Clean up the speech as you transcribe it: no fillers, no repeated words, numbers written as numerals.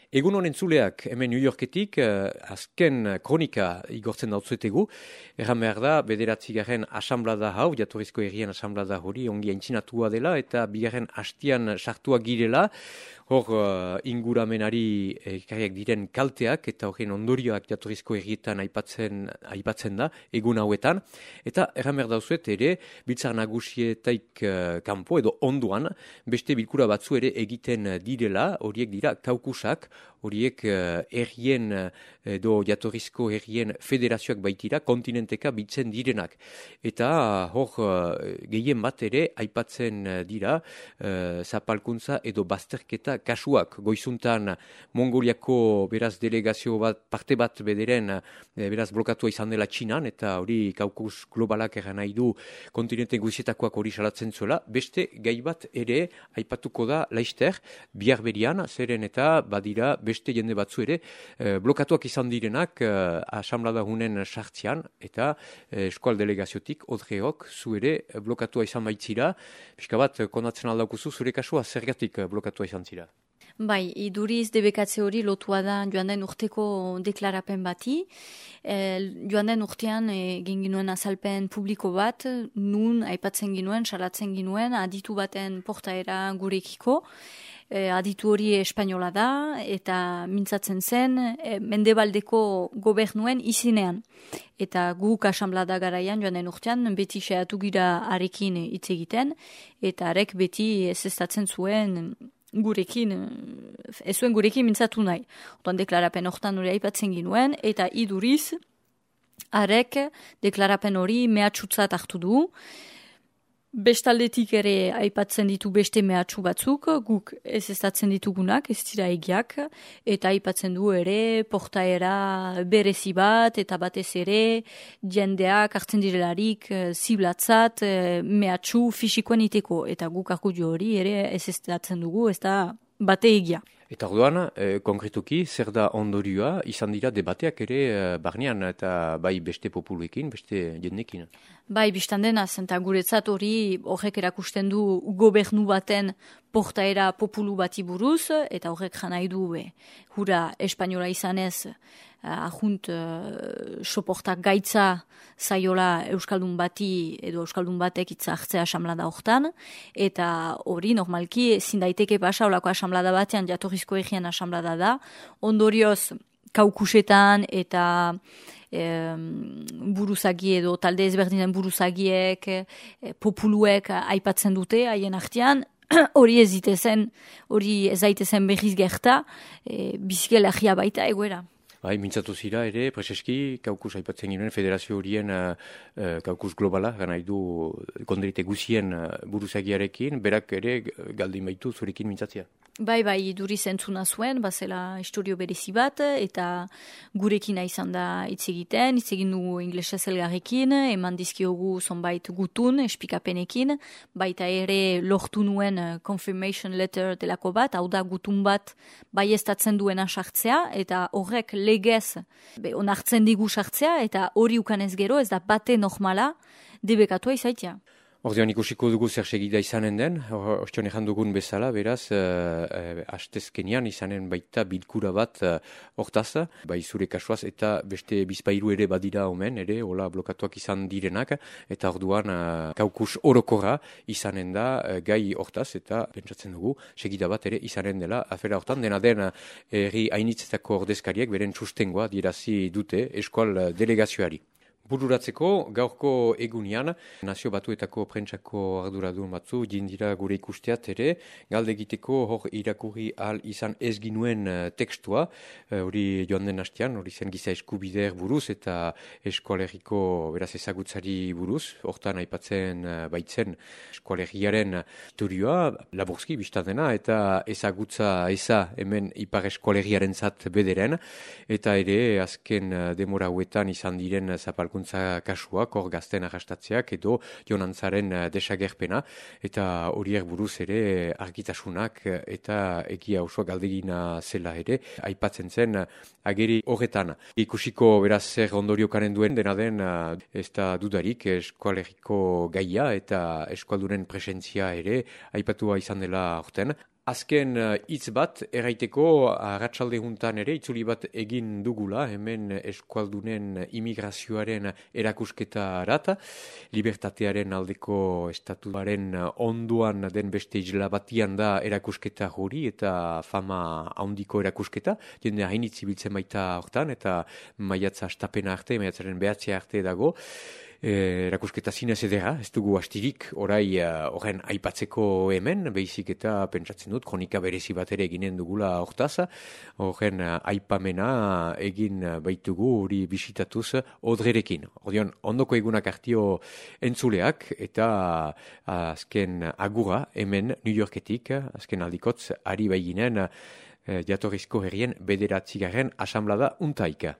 Egun honen zuleak, hemen New Yorketik, azken kronika igortzen dautzuetegu. Erran behar da, 9. asamblada hau, jatorrizko herrien asamblada hori, ongi aintzinatua dela, eta bigarren hastian sartua girela, hor inguramenari ekarriak diren kalteak, eta horren ondorioak jatorrizko herrietan aipatzen da, egun hauetan. Eta erran behar dauzuet ere, biltzar nagusietaik kanpo edo onduan, beste bilkura batzu ere egiten direla, horiek dira kaukusak, horiek herrien edo jatorrizko herrien federazioak baitira, kontinenteka bitzen direnak. Eta hor gehien bat ere aipatzen dira zapalkuntza edo bazterketa kasuak. Goizuntan Mongoliako beraz delegazio bat, parte bat bederen beraz blokatua izan dela Txinan, eta hori kaukus globalak eran nahi du kontinente guzietakoak hori salatzen zuela. Beste gai bat ere aipatuko da laister, bihar berian, zeren eta badira beste jende batzu ere blokatuak izan direnak asamblada hunen sartzean, eta eskual delegaziotik odreok zu ere blokatua izan baitzira. Pixka bat konatzen aldaukuzu zure kasua zergatik blokatua izan zira? Bai, iduriz debekatze hori lotua da joan den urteko deklarapen bati. Joan den urtean egin ginuen azalpen publiko bat, nun aipatzen ginuen, salatzen ginuen, aditu baten portaera gurekiko. Aditu hori espainola da, eta mintzatzen zen Mendebaldeko gobernuen izinean. Eta guk asamblada garaian joan den urtean, beti xeatu gira arekin hitz egiten, eta arek beti ezeztatzen zuen gurekin, ez zuen gurekin mintzatu nahi. Otan deklarapen hortan hori aipatzen ginuen, eta iduriz, arek deklarapen hori mehatxutzat hartu du. Bestaldetik ere aipatzen ditu beste mehatxu batzuk, guk ezeztatzen ditugunak, ez dira egiak, eta aipatzen du ere portaera berezi bat, eta batez ere jendeak hartzen direlarik ziblatzat mehatxu fisikoen iteko, eta guk argudio hori ere ezeztatzen dugu, ez da bate egia. Eta orduan, konkretuki, zer da ondorioa, izan dira debateak ere barnean, eta bai beste populuekin, beste jendekin. Bai, biztan dena, zenta guretzat hori horrek erakusten du gobernu baten portaera populu bati buruz, eta horrek janai du hura espainola izanez, ahunt soportak gaitza zaiola euskaldun bati edo euskaldun batek hitza hartzea asamblada hortan, eta hori normalki ezin daiteke pasa olako asamblada batean jatorrizko herrien asamblada da, ondorioz kaukusetan eta buruzagi edo talde ezberdinen buruzagiek, populuek aipatzen dute haien artean, hori ez daitezen berriz gerta, bizikelagia baita egoera. Bai, mintzatu zira ere, preseski, kaukus aipatzen ginen, federazio horien kaukus globala, nahi du konderite guzien buruzagiarekin, berak ere galdin baitu zurekin mintzatzea. Bai, duri zentzuna zuen, bazela istorio berezi bat, eta gurekin izan da hitz egin dugu inglesez elgarrekin, eman dizkiogu zonbait gutun, espikapenekin, baita ere lortu nuen confirmation letter delako bat, hau da gutun bat baiestatzen duena sartzea, eta horrek legez onartzen digu sartzea, eta hori ukanez gero ez da bate normala debekatua izaitia. Ordean ikusiko dugu zer segida izanen den, ostion ejan dugun bezala, beraz, hastezkenean izanen baita bilkura bat hortaz, bai zure kasuaz, eta beste bizpairu ere badira omen, ere, hola blokatuak izan direnak, eta orduan kaukus orokorra izanen da gai hortaz, eta pentsatzen dugu, segida bat ere izanen dela, afera hortan, dena den herri hainitzetako ordezkariek, beren sustengoa dirazi dute eskual delegazioari. Bururatzeko, gaurko egunean, Nazio Batuetako prentsako arduradun batzu, jindira gure ikusteat ere, galde egiteko hor irakurri ahal izan ez ginuen tekstua, hori joan den hastean, hori zen giza eskubider buruz eta eskualeriko beraz ezagutzari buruz, hortan aipatzen baitzen eskualeriaren historioa, laburzki biztan dena, eta ezagutza eza hemen ipar eskualeriaren zat bederen, eta ere azken demora hauetan izan diren zapalkuntza kasuak, hor gazten arrastatzeak edo jonantzaren desagerpena, eta horiek buruz ere argitasunak eta egia osoa galdegina zela ere, aipatzen zen ageri horretan. Ikusiko beraz zer ondoriokanen duen, dena den ez da dudarik eskualeriko gaia eta eskualdunen presentzia ere aipatua izan dela horten. Azken hitz bat, erraiteko arratsalde juntan ere, itzuli bat egin dugula, hemen eskualdunen imigrazioaren erakusketa arat, libertatearen aldeko estatuaren onduan den beste isla batian da erakusketa hori, eta fama handiko erakusketa, jende hainitz ibiltzen baita hortan, eta maiatza astapena arte, maiatzaren behatzea arte dago, erakusketa zinez edera, ez dugu astirik orai horren aipatzeko hemen, behizik eta pentsatzen dut, kronika berezi bat ere eginen dugula hortaz, horren aipamena egin baitugu hori bisitatuz odrerekin. Ordion, ondoko egunak hartio entzuleak eta azken agura hemen New Yorketik, azken aldikotz, ari baiginen jatorrizko herrien 9. asanblada untaika.